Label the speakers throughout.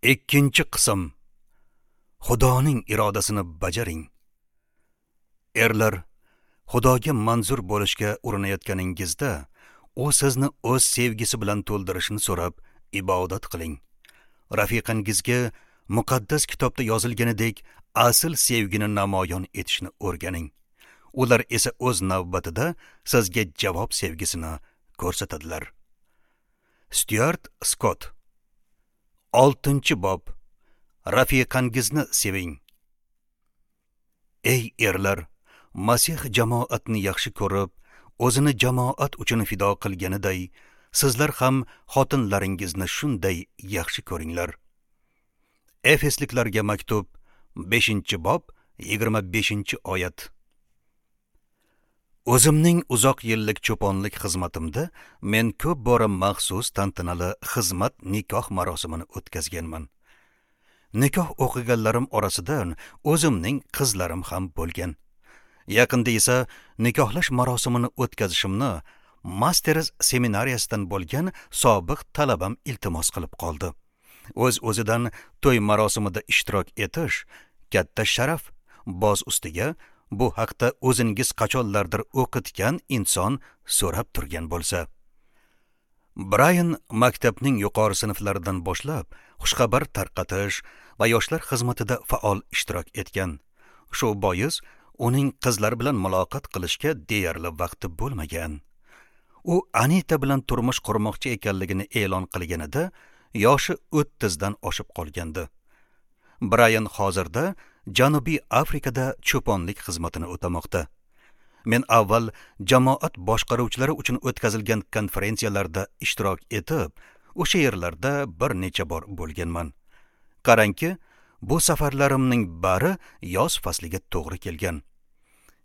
Speaker 1: Ikkinchi qism. Xudoning irodasini bajaring. Erlar, Xudoga manzur bo'lishga urinayotganingizda, u sizni o'z sevgisi bilan to'ldirishini so'rab ibodat qiling. Rafiqangizga muqaddas kitobda yozilganidek asl sevgini namoyon etishni o'rganing. Ular esa o'z navbatida sizga javob sevgisini ko'rsatadilar. Stuart Scott. 6-bob. Rafiqangizni seving. Ey erlar, Masih jamoatni yaxshi ko'rib, o'zini jamoat uchun fido qilganiday, sizlar ham xotinlaringizni shunday yaxshi ko'ringlar. Efesliklarga maktub 5-bob 25-oyat. O'zimning uzoq yillik cho'ponlik xizmatimda men ko'p bora maxsus tantanali xizmat nikoh marosimini o'tkazganman. Nikoh o'qiganlarim orasidan o'zimning qizlarim ham bo'lgan. Yaqinda esa nikohlash marosimini o'tkazishimni Masters seminariyasidan bo'lgan sobiq talabam iltimos qilib qoldi. O'z-o'zidan to'y marosimida ishtirok etish katta sharaf, boz ustiga bu haqda o'zingiz qachonlardir o'qitgan inson so'rab turgan bo'lsa. Brian maktabning yuqori sinflaridan boshlab xushxabar tarqatish va yoshlar xizmatida faol ishtirok etgan. Shu bois uning qizlar bilan muloqot qilishga deyarli vaqti bo'lmagan. U Anita bilan turmush qurmoqchi ekanligini e'lon qilganida yoshi 30 dan oshib qolgandi. Brian hozirda Janubiy Afrikada cho'ponlik xizmatini o'tamoqda. Men avval jamoat boshqaruvchilari uchun o'tkazilgan konferensiyalarda ishtirok etib, o'sha yerlarda bir necha bor bo'lganman. Qarangki, bu safarlarimning bari yoz fasliga to'g'ri kelgan.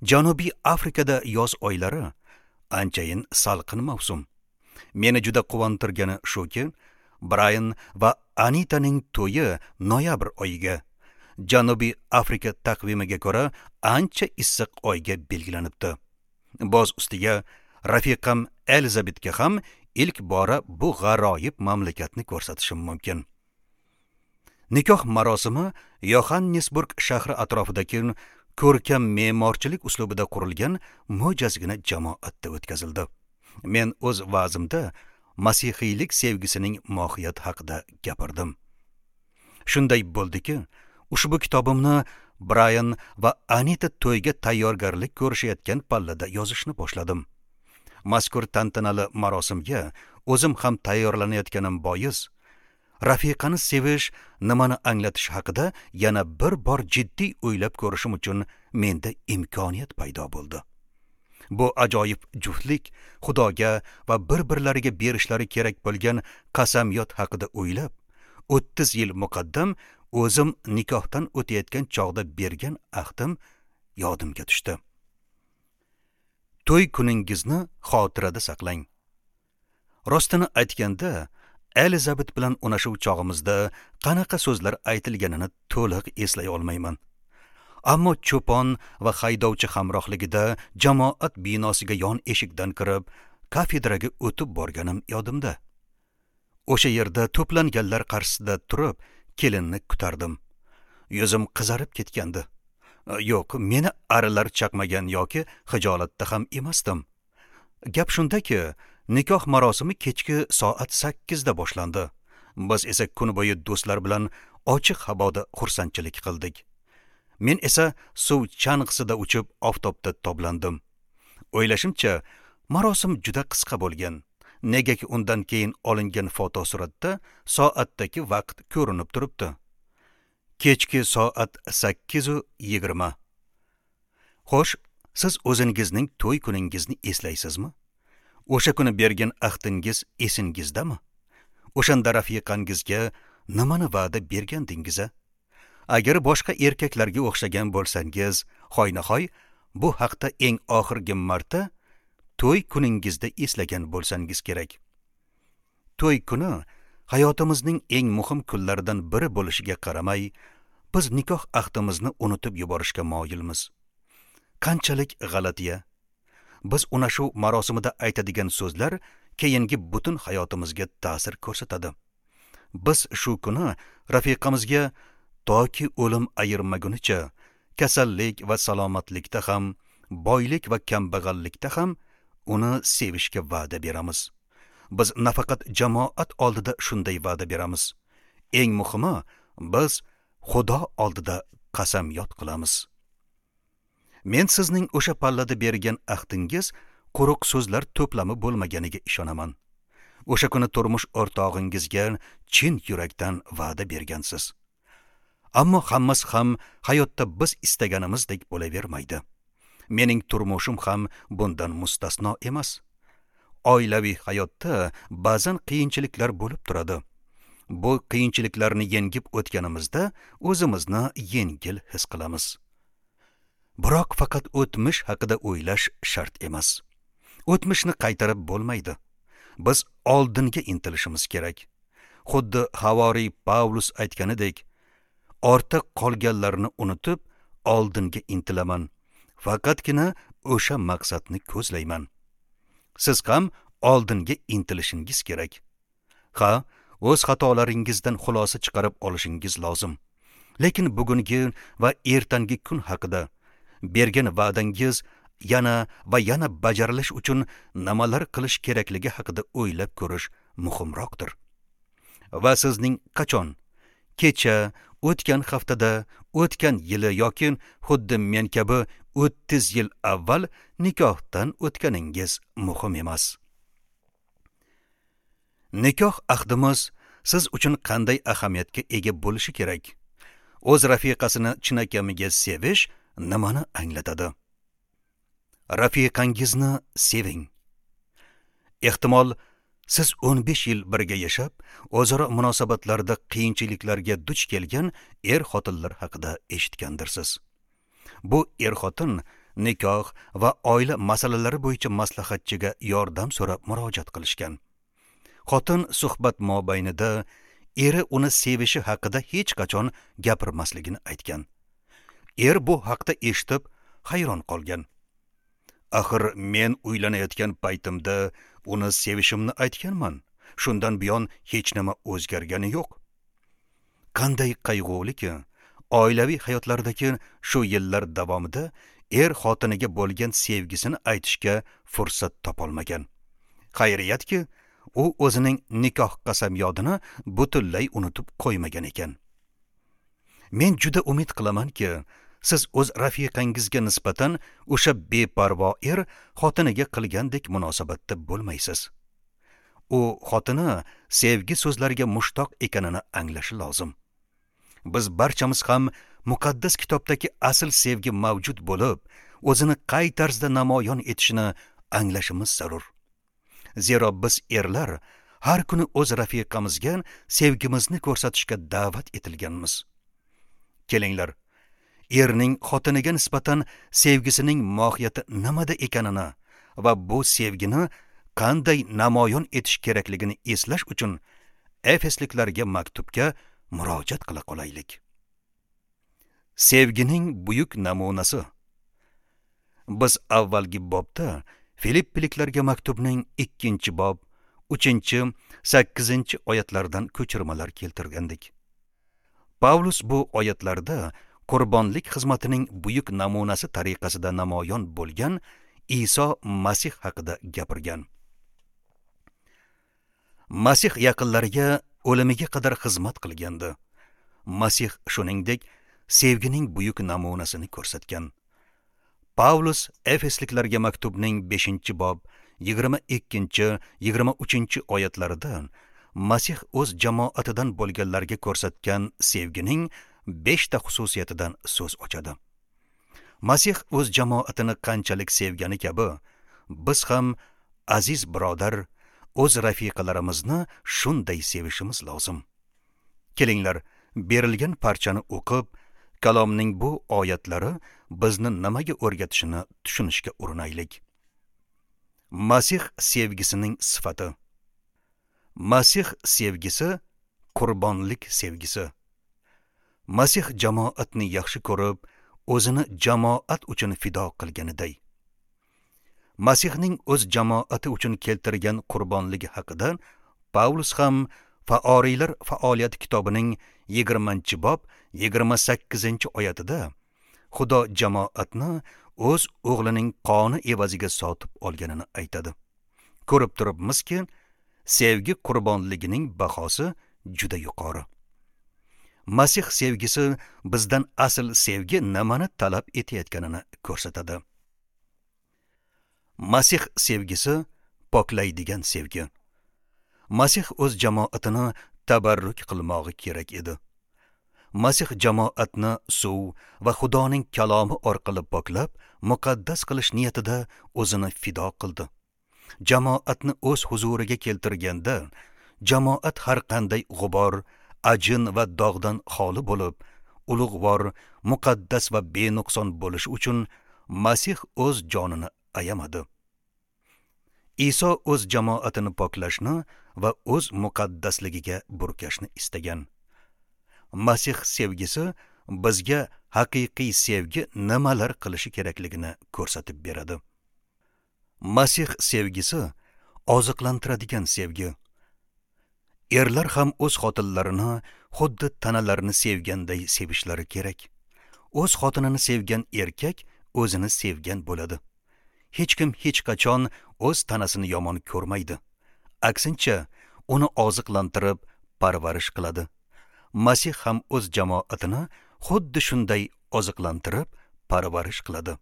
Speaker 1: Janubiy Afrikada yoz oylari anchayin salqin mavsum. Meni juda quvontirgani shuki, Brian va Anitaning to'yi noyabr oyiga, Janubiy Afrika taqvimiga ko'ra ancha issiq oyga belgilanibdi. Boz ustiga rafiqam Elizabetga ham ilk bora bu g'aroyib mamlakatni ko'rsatishim mumkin. Nikoh marosimi Yohannesburg shahri atrofidagi ko'rkam me'morchilik uslubida qurilgan mo'jazgina jamoatda o'tkazildi. Men o'z va'zimda masihiylik sevgisining mohiyati haqida gapirdim. Shunday bo'ldiki, ushbu kitobimni Brian va Anita to'yga tayyorgarlik ko'rishayotgan pallada yozishni boshladim. Mazkur tantanali marosimga o'zim ham tayyorlanayotganim bois, rafiqani sevish nimani anglatish haqida yana bir bor jiddiy o'ylab ko'rishim uchun menda imkoniyat paydo bo'ldi. Bu ajoyib juftlik Xudoga va bir-birlariga berishlari kerak bo'lgan qasamyod haqida o'ylab, 30 yil muqaddam o'zim nikohdan o'tayotgan chog'da bergan ahdim yodimga tushdi. To'y kuningizni xotirada saqlang. Rostini aytganda, Elizabet bilan unashuv chog'imizda qanaqa so'zlar aytilganini to'liq eslay olmayman. Ammo cho'pon va haydovchi hamrohligida jamoat binosiga yon eshikdan kirib, kafedraga o'tib borganim yodimda. O'sha yerda to'planganlar qarshisida turib, kelinni kutardim. Yuzim qizarib ketgandi. Yo'q, meni arilar chaqmagan yoki xijolatda ham emasdim. Gap shundaki, nikoh marosimi kechki soat 8 da boshlandi. Biz esa kun bo'yi do'stlar bilan ochiq havoda xursandchilik qildik. Men esa suv chang'isida uchib oftobda toblandim. O'ylashimcha, marosim juda qisqa bo'lgan. Negaki undan keyin olingan fotosuratda soatdagi vaqt ko'rinib turibdi. Kechki soat 8:20. Xo'sh, siz o'zingizning to'y kuningizni eslaysizmi? O'sha kuni bergan ahdingiz esingizdami? O'shanda rafiqangizga nimani va'da bergandingiz? Agar boshqa erkaklarga o'xshagan bo'lsangiz, hoynahoy bu haqda eng oxirgi marta to'y kuningizda eslagan bo'lsangiz kerak. To'y kuni hayotimizning eng muhim kunlaridan biri bo'lishiga qaramay, biz nikoh ahdimizni unutib yuborishga moyilmiz. Qanchalik g'alatiya! Biz unashuv marosimida aytadigan so'zlar keyingi butun hayotimizga ta'sir ko'rsatadi. Biz shu kuni Rafiqamizga toki o'lim ayirmagunicha kasallik va salomatlikda ham, boylik va kambag'allikda ham uni sevishga va'da beramiz. Biz nafaqat jamoat oldida shunday va'da beramiz. Eng muhimi, biz Xudo oldida qasamyod qilamiz. Men sizning o'sha pallada bergan ahdingiz quruq so'zlar to'plami bo'lmaganiga ishonaman. O'sha kuni turmush o'rtog'ingizga chin yurakdan va'da bergansiz. Ammo hammasi ham hayotda biz istaganimizdek bo'lavermaydi. Mening turmushim ham bundan mustasno emas. Oilaviy hayotda ba'zan qiyinchiliklar bo'lib turadi. Bu qiyinchiliklarni yengib o'tganimizda o'zimizni yengil his qilamiz. Biroq faqat o'tmish haqida o'ylash shart emas. O'tmishni qaytarib bo'lmaydi. Biz oldinga intilishimiz kerak. Xuddi havoriy Pavlus aytganidek, ortda qolganlarni unutib, oldinga intilaman. Faqatgina o'sha maqsadni ko'zlayman. Siz ham oldinga intilishingiz kerak. Ha, o'z xatolaringizdan xulosa chiqarib olishingiz lozim. Lekin bugungi va ertangi kun haqida bergan va'dangiz yana va yana bajarilish uchun nimalar qilish kerakligi haqida o'ylab ko'rish muhimroqdir. Va sizning qachon, kecha, o'tgan haftada, o'tgan yili yoki xuddi men kabi 30 yil avval nikohdan o'tganingiz muhim emas. Nikoh ahdimiz siz uchun qanday ahamiyatga ega bo'lishi kerak? O'z rafiqasini chinakamiga sevish nimani anglatadi? Rafiqangizni seving. Ehtimol siz 15 yil birga yashab, o'zaro munosabatlarda qiyinchiliklarga duch kelgan er-xotinlar haqida eshitgandirsiz. Bu er-xotin nikoh va oila masalalari bo'yicha maslahatchiga yordam so'rab murojaat qilishgan. Xotin suhbat mobaynida eri uni sevishi haqida hech qachon gapirmasligini aytgan. Er bu haqda eshitib hayron qolgan. Axir men uylanayotgan paytimda uni sevishimni aytganman. Shundan buyon hech nima o'zgargani yo'q. Qanday qayg'uliki, oilaviy hayotlaridagi shu yillar davomida er xotiniga bo'lgan sevgisini aytishga fursat topolmagan. Xayriyatki, u o'zining nikoh qasamyodini butunlay unutib qo'ymagan ekan. Men juda umid qilamanki, siz o'z rafiqangizga nisbatan o'sha beparvo er xotiniga qilgandek munosabatda bo'lmaysiz. U xotini sevgi so'zlariga mushtoq ekanini anglashi lozim. Biz barchamiz ham muqaddas kitobdagi asl sevgi mavjud bo'lib, o'zini qay tarzda namoyon etishini anglashimiz zarur. Zero biz erlar har kuni o'z rafiqamizga sevgimizni ko'rsatishga da'vat etilganmiz. Kelinglar, erning xotiniga nisbatan sevgisining mohiyati nimada ekanini va bu sevgini qanday namoyon etish kerakligini eslash uchun Efesliklarga maktubga murojaat qila qolaylik. Sevgining buyuk namunasi. Biz avvalgi bobda Filippiliklarga maktubning 2-bob, 3-, 8-oyatlardan ko'chirmalar keltirgandik. Pavlus bu oyatlarda qurbonlik xizmatining buyuk namunasi tariqasida namoyon bo'lgan Iso Masih haqida gapirgan. Masih yaqinlariga o'limiga qadar xizmat qilgandi. Masih shuningdek sevgining buyuk namunasini ko'rsatgan. Pavlus Efesliklarga maktubning 5-bob, 22-, 23-oyatlarida Masih o'z jamoatidan bo'lganlarga ko'rsatgan sevgining 5 ta xususiyatidan so'z ochadi. Masih o'z jamoatini qanchalik sevgani kabi, biz ham aziz birodar, o'z rafiqalarimizni shunday sevishimiz lozim. Kelinglar, berilgan parchani o'qib, kalomning bu oyatlari bizni nimaga o'rgatishini tushunishga urinaylik. Masih sevgisining sifati. Masih sevgisi qurbonlik sevgisi. Masih jamoatni yaxshi ko'rib, o'zini jamoat uchun fido qilganiday. Masihning o'z jamoati uchun keltirgan qurbonligi haqida Pavlus ham Faoriylar faoliyati kitobining 20-bob 28-oyatida Xudo jamoatni o'z o'g'lining qoni evaziga sotib olganini aytadi. Ko'rib turibmizki, sevgi qurbonligining bahosi juda yuqori. Masih sevgisi bizdan asl sevgi nimani talab etayotganini ko'rsatadi. Masih sevgisi poklaydigan sevgi. Masih o'z jamoatini tabarruk qilmog'i kerak edi. Masih jamoatni suv va Xudoning kalomi orqali poklab, muqaddas qilish niyatida o'zini fido qildi. Jamoatni o'z huzuriga keltirganda, jamoat har qanday g'ubor, ajin va dog'dan xoli bo'lib, ulug'vor, muqaddas va benuqson bo'lish uchun Masih o'z jonini ayamadi. Iso o'z jamoatini poklashni va o'z muqaddasligiga burkashni istagan. Masih sevgisi bizga haqiqiy sevgi nimalar qilishi kerakligini ko'rsatib beradi. Masih sevgisi oziqlantiradigan sevgi. Erlar ham o'z xotinlarini xuddi tanalarini sevganday sevishlari kerak. O'z xotinini sevgan erkak o'zini sevgan bo'ladi. Hech kim hech qachon o'z tanasini yomon ko'rmaydi. Aksincha, uni oziqlantirib, parvarish qiladi. Masih ham o'z jamoatini xuddi shunday oziqlantirib, parvarish qiladi.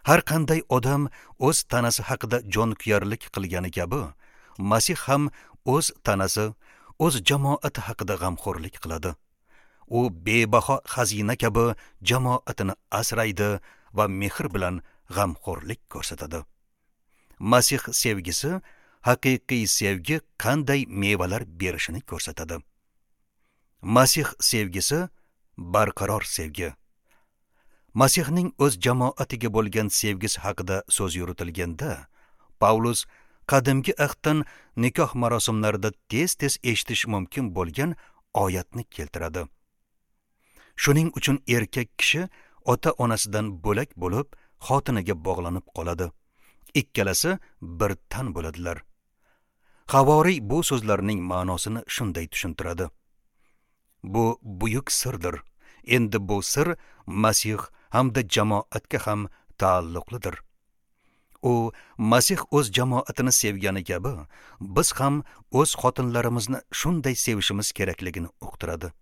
Speaker 1: Har qanday odam o'z tanasi haqida jonkuyarlik qilgani kabi, Masih ham o'z tanasi, o'z jamoati haqida g'amxo'rlik qiladi. U bebaho xazina kabi jamoatini asraydi va mehr bilan g'amxo'rlik ko'rsatadi. Masih sevgisi haqiqiy sevgi qanday mevalar berishini ko'rsatadi. Masih sevgisi barqaror sevgi. Masihning o'z jamoatiga bo'lgan sevgisi haqida so'z yuritilganda, Pavlus qadimgi ahddan nikoh marosimlarida tez-tez eshitish mumkin bo'lgan oyatni keltiradi. Shuning uchun erkak kishi ota-onasidan bo'lak bo'lib, xotiniga bog'lanib qoladi. Ikkalasi bir tan bo'ladilar. Havoriy bu so'zlarning ma'nosini shunday tushuntiradi. Bu buyuk sirdir. Endi bu sir Masih hamda jamoatga ham taalluqlidir. U Masih o'z jamoatini sevgani kabi, biz ham o'z xotinlarimizni shunday sevishimiz kerakligini uqtiradi.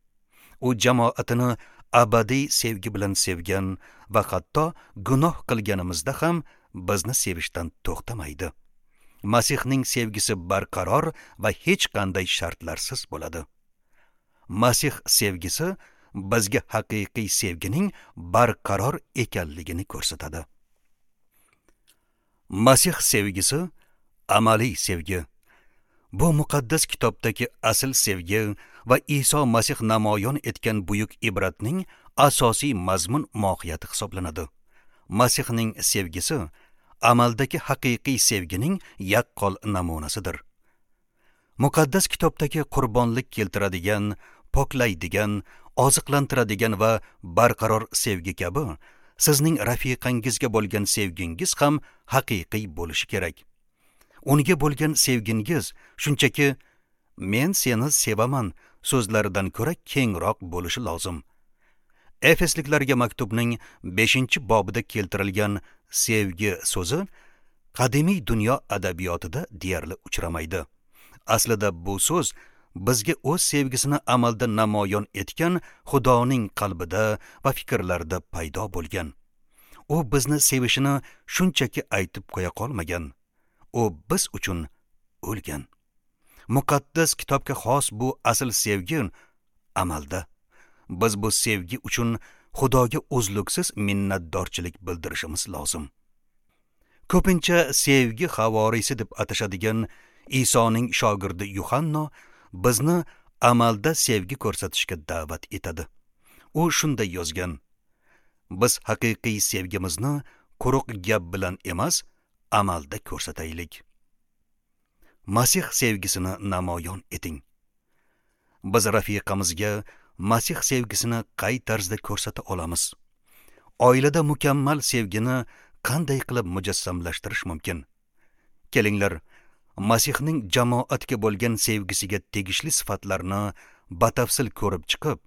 Speaker 1: U jamoatini abadiy sevgi bilan sevgan va hatto gunoh qilganimizda ham bizni sevishdan to'xtamaydi. Masihning sevgisi barqaror va hech qanday shartlarsiz bo'ladi. Masih sevgisi bizga haqiqiy sevgining barqaror ekanligini ko'rsatadi. Masih sevgisi amaliy sevgi. Bu muqaddas kitobdagi asl sevgi va Iso Masih namoyon etgan buyuk ibratning asosiy mazmun mohiyati hisoblanadi. Masihning sevgisi amaldagi haqiqiy sevgining yaqqol namunasidir. Muqaddas kitobdagi qurbonlik keltiradigan, poklaydigan, oziqlantiradigan va barqaror sevgi kabi sizning rafiqangizga bo'lgan sevgingiz ham haqiqiy bo'lishi kerak. Unga bo'lgan sevgingiz shunchaki "Men seni sevaman" so'zlaridan ko'ra kengroq bo'lishi lozim. Efesliklarga maktubning 5-bobida keltirilgan sevgi so'zi qadimiy dunyo adabiyotida deyarli uchramaydi. Aslida bu so'z bizga o'z sevgisini amalda namoyon etgan Xudoning qalbida va fikrlarida paydo bo'lgan. U bizni sevishini shunchaki aytib qo'ya qolmagan. U biz uchun o'lgan. Muqaddas kitobga xos bu asl sevgi amalda. Biz bu sevgi uchun Xudoga uzluksiz minnatdorchilik bildirishimiz lozim. Ko'pincha sevgi havorisi deb atashadigan Isoning shogirdi Yuhanno bizni amalda sevgi ko'rsatishga da'vat etadi. U shunday yozgan: Biz haqiqiy sevgimizni quruq gap bilan emas, amalda ko'rsataylik. Masih sevgisini namoyon eting. Biz rafiqamizga Masih sevgisini qay tarzda ko'rsata olamiz? Oilada mukammal sevgini qanday qilib mujassamlashtirish mumkin? Kelinglar, Masihning jamoatga bo'lgan sevgisiga tegishli sifatlarni batafsil ko'rib chiqib,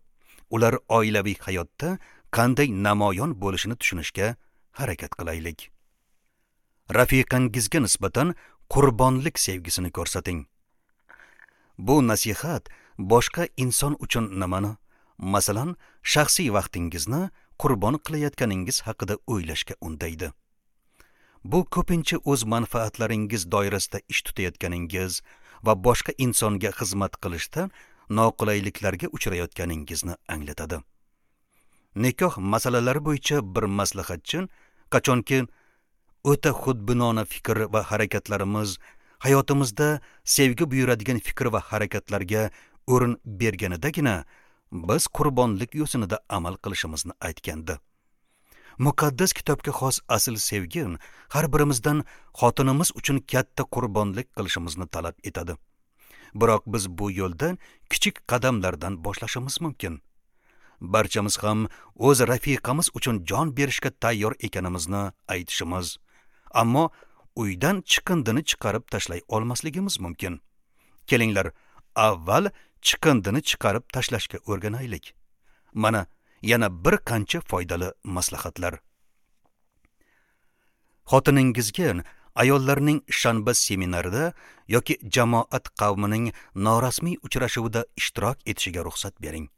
Speaker 1: ular oilaviy hayotda qanday namoyon bo'lishini tushunishga harakat qilaylik. Rafiqangizga nisbatan qurbonlik sevgisini ko'rsating. Bu nasihat boshqa inson uchun nimani, masalan, shaxsiy vaqtingizni qurbon qilayotganingiz haqida o'ylashga undaydi. Bu ko'pincha o'z manfaatlaringiz doirasida ish tutayotganingiz va boshqa insonga xizmat qilishda noqulayliklarga uchrayotganingizni anglatadi. Nikoh masalalari bo'yicha bir maslahatchi qachonki o'ta xudbinona fikr va harakatlarimiz hayotimizda sevgi buyuradigan fikr va harakatlarga o'rin berganidagina biz qurbonlik yo'sinida amal qilishimizni aytgandi. Muqaddas kitobga xos asl sevgi har birimizdan xotinimiz uchun katta qurbonlik qilishimizni talab etadi. Biroq biz bu yo'lda kichik qadamlardan boshlashimiz mumkin. Barchamiz ham o'z rafiqamiz uchun jon berishga tayyor ekanimizni aytishimiz, ammo uydan chiqindini chiqarib tashlay olmasligimiz mumkin. Kelinglar, avval chiqindini chiqarib tashlashga o'rganaylik. Mana yana bir qancha foydali maslahatlar. Xotiningizga ayollarning shanba seminarida yoki jamoat qavmining norasmiy uchrashuvida ishtirok etishiga ruxsat bering.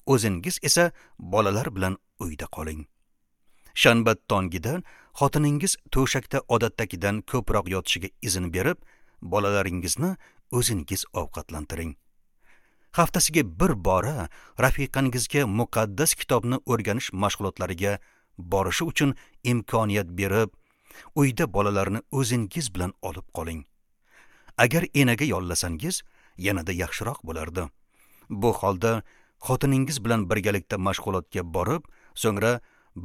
Speaker 1: O'zingiz esa bolalar bilan uyda qoling. Shanba tongida xotiningiz to'shakda odatdagidan ko'proq yotishiga izn berib, bolalaringizni o'zingiz ovqatlantiring. Haftasiga bir bora rafiqangizga muqaddas kitobni o'rganish mashg'ulotlariga borishi uchun imkoniyat berib, uyda bolalarni o'zingiz bilan olib qoling. Agar enaga yollasangiz, yanada yaxshiroq bo'lardi. Bu holda xotiningiz bilan birgalikda mashg'ulotga borib, so'ngra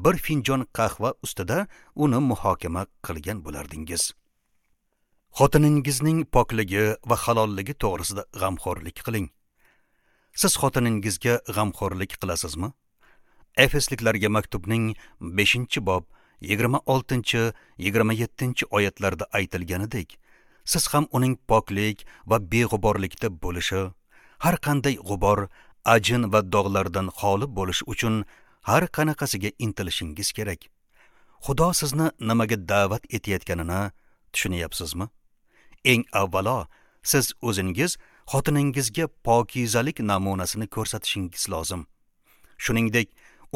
Speaker 1: bir finjon qahva ustida uni muhokama qilgan bo'lardingiz. Xotiningizning pokligi va halolligi to'g'risida g'amxo'rlik qiling. Siz xotiningizga g'amxo'rlik qilasizmi? Efesliklarga maktubning 5-bob 26-27 oyatlarda aytilganidek, siz ham uning poklik va beg'uborlikda bo'lishi, har qanday g'ubor, ajin va dog'lardan xoli bo'lish uchun har qanaqasiga intilishingiz kerak. Xudo sizni nimaga da'vat etayotganini tushunyapsizmi? Eng avvalo siz o'zingiz xotiningizga pokizalik namunasini ko'rsatishingiz lozim. Shuningdek,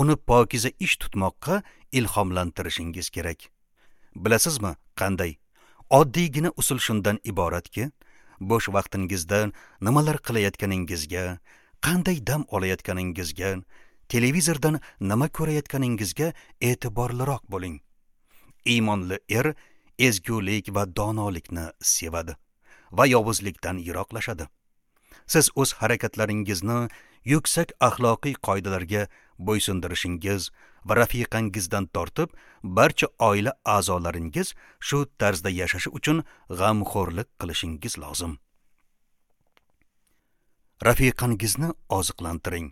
Speaker 1: uni pokiza ish tutmoqqa ilhomlantirishingiz kerak. Bilasizmi, qanday? Oddiygina usul shundan iboratki, bo'sh vaqtingizda nimalar qilayotganingizga, qanday dam olayotganingizga, televizordan nima ko'rayotganingizga e'tiborliroq bo'ling. Iymonli er ezgulik va donolikni sevadi va yovuzlikdan yiroqlashadi. Siz o'z harakatlaringizni yuksak axloqiy qoidalarga bo'ysundirishingiz va rafiqangizdan tortib barcha oila a'zolaringiz shu tarzda yashashi uchun g'amxo'rlik qilishingiz lozim. Rafiqangizni oziqlantiring.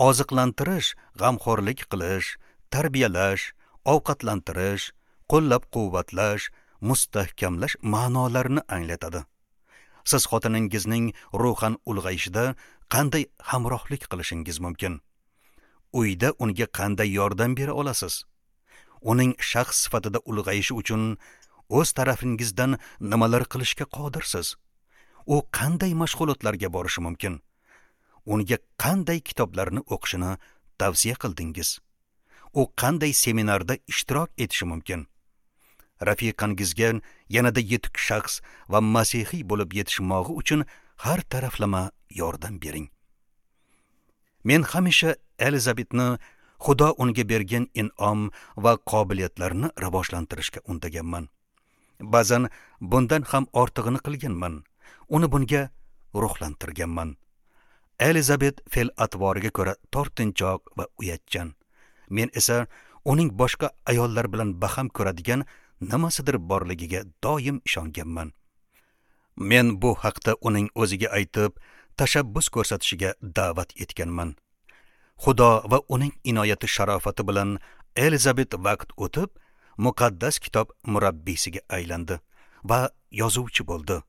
Speaker 1: Oziqlantirish, g'amxo'rlik qilish, tarbiyalash, ovqatlantirish, qo'llab-quvvatlash, mustahkamlash ma'nolarini anglatadi. Siz xotiningizning ruhan ulg'ayishida qanday hamrohlik qilishingiz mumkin? Uyda unga qanday yordam bera olasiz? Uning shaxs sifatida ulg'ayishi uchun o'z tarafingizdan nimalar qilishga qodirsiz? U qanday mashg'ulotlarga borishi mumkin? Unga qanday kitoblarni o'qishini tavsiya qildingiz? U qanday seminarda ishtirok etishi mumkin? Rafiqangizga yanada yetuk shaxs va masihiy bo'lib yetishmog'i uchun har taraflama yordam bering. Men hamisha Elizabetni Xudo unga bergan in'om va qobiliyatlarni rivojlantirishga undaganman. Ba'zan bundan ham ortig'ini qilganman. Uni bunga ruhlantirganman. Elizabet fe'l-atvoriga ko'ra tortinchoq va uyatchan. Men esa uning boshqa ayollar bilan baham ko'radigan nimasidir borligiga doim ishonganman. Men bu haqda uning o'ziga aytib, tashabbus ko'rsatishiga da'vat etganman. Xudo va uning inoyati sharofati bilan Elizabet vaqt o'tib, muqaddas kitob murabbiysiga aylandi va yozuvchi bo'ldi.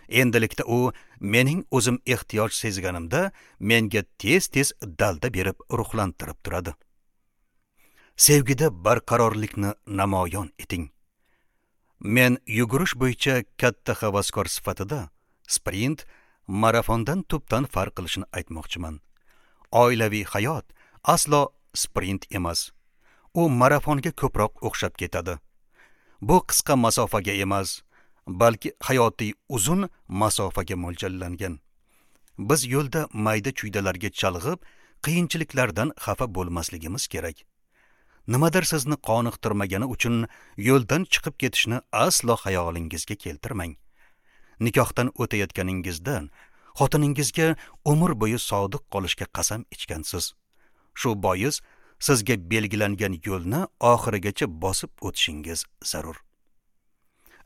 Speaker 1: Endilikda u mening o'zim ehtiyoj sezganimda menga tez-tez dalda berib ruhlantirib turadi. Sevgida barqarorlikni namoyon eting. Men yugurish bo'yicha katta havaskor sifatida sprint marafondan tubdan farq qilishini aytmoqchiman. Oilaviy hayot aslo sprint emas. U marafonga ko'proq o'xshab ketadi. Bu qisqa masofaga emas, balki hayotiy uzun masofaga mo'ljallangan. Biz yo'lda mayda-chuydalarga chalg'ib, qiyinchiliklardan xafa bo'lmasligimiz kerak. Nimadir sizni qoniqtirmagani uchun yo'ldan chiqib ketishni aslo xayolingizga keltirmang. Nikohdan o'tayotganingizda xotiningizga umr bo'yi sodiq qolishga qasam ichgansiz. Shu bois sizga belgilangan yo'lni oxirigacha bosib o'tishingiz zarur.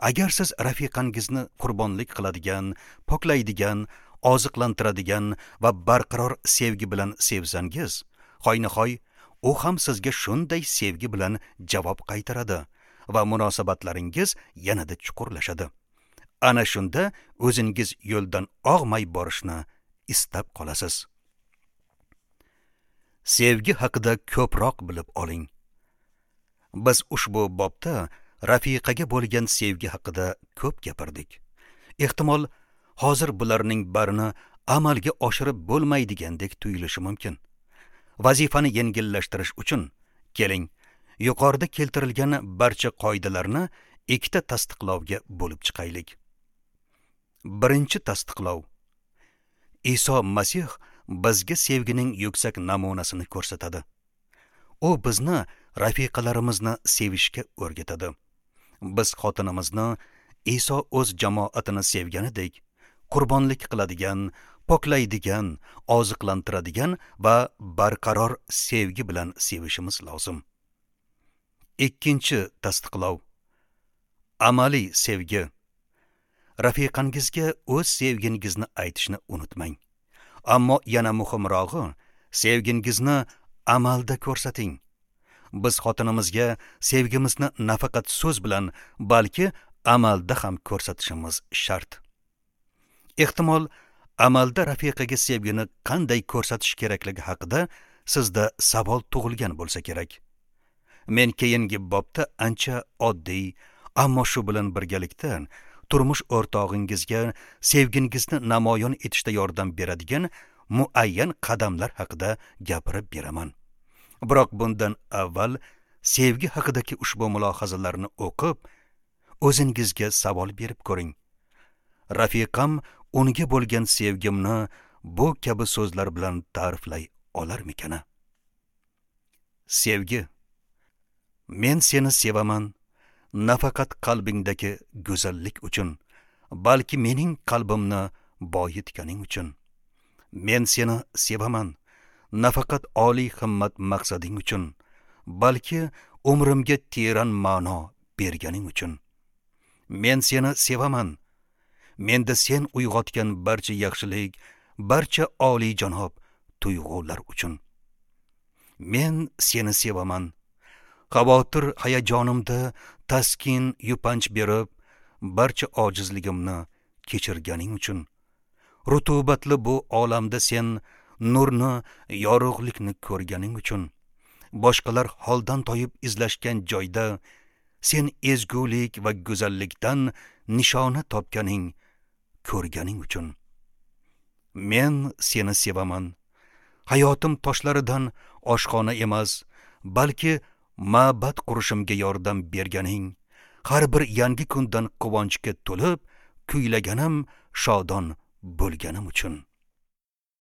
Speaker 1: Agar siz rafiqangizni qurbonlik qiladigan, poklaydigan, oziqlantiradigan va barqaror sevgi bilan sevsangiz, hoynahoy u ham sizga shunday sevgi bilan javob qaytaradi va munosabatlaringiz yanada chuqurlashadi. Ana shunda o'zingiz yo'ldan og'may borishni istab qolasiz. Sevgi haqida ko'proq bilib oling. Biz ushbu bobda rafiqaga bo'lgan sevgi haqida ko'p gapirdik. Ehtimol hozir bularning barini amalga oshirib bo'lmaydigandek tuyulishi mumkin. Vazifani yengillashtirish uchun keling, yuqorida keltirilgan barcha qoidalarni ikkita tasdiqlovga bo'lib chiqaylik. Birinchi tasdiqlov. Iso Masih bizga sevgining yuksak namunasini ko'rsatadi. U bizni rafiqalarimizni sevishga o'rgatadi. Biz xotinimizni Iso o'z jamoatini sevganidek qurbonlik qiladigan, poklaydigan, oziqlantiradigan va barqaror sevgi bilan sevishimiz lozim. Ikkinchi tasdiqlov. Amaliy sevgi. Rafiqangizga o'z sevgingizni aytishni unutmang. Ammo yana muhimrog'i, sevgingizni amalda ko'rsating. Biz xotinimizga sevgimizni nafaqat so'z bilan, balki amalda ham ko'rsatishimiz shart. Ehtimol amalda rafiqaga sevgini qanday ko'rsatish kerakligi haqida sizda savol tug'ilgan bo'lsa kerak. Men keyingi bobda ancha oddiy, ammo shu bilan birgalikda turmush o'rtog'ingizga sevgingizni namoyon etishda yordam beradigan muayyan qadamlar haqida gapirib beraman. Biroq bundan avval sevgi haqidagi ushbu mulohazalarni o'qib, o'zingizga savol berib ko'ring. Rafiqam unga bo'lgan sevgimni bu kabi so'zlar bilan ta'riflay olarmikana? Sevgi. Men seni sevaman, nafaqat qalbingdagi go'zallik uchun, balki mening qalbimni boyitganing uchun. Men seni sevaman, nafaqat oliy himmat maqsading uchun, balki umrimga teran ma'no berganing uchun. Men seni sevaman, menda sen uyg'otgan barcha yaxshilik, barcha oliyjanob tuyg'ular uchun. Men seni sevaman, xavotir hayajonimda taskin yupanch berib, barcha ojizligimni kechirganing uchun. Rutubatli bu olamda sen nurni, yorug'likni ko'rganing uchun. Boshqalar holdan toyib izlashgan joyda sen ezgulik va go'zallikdan nishona topganing, ko'rganing uchun. Men seni sevaman. Hayotim toshlaridan oshxona emas, balki ma'bad qurishimga yordam berganing, har bir yangi kundan quvonchga to'lib, kuylaganim, shodon bo'lganim uchun.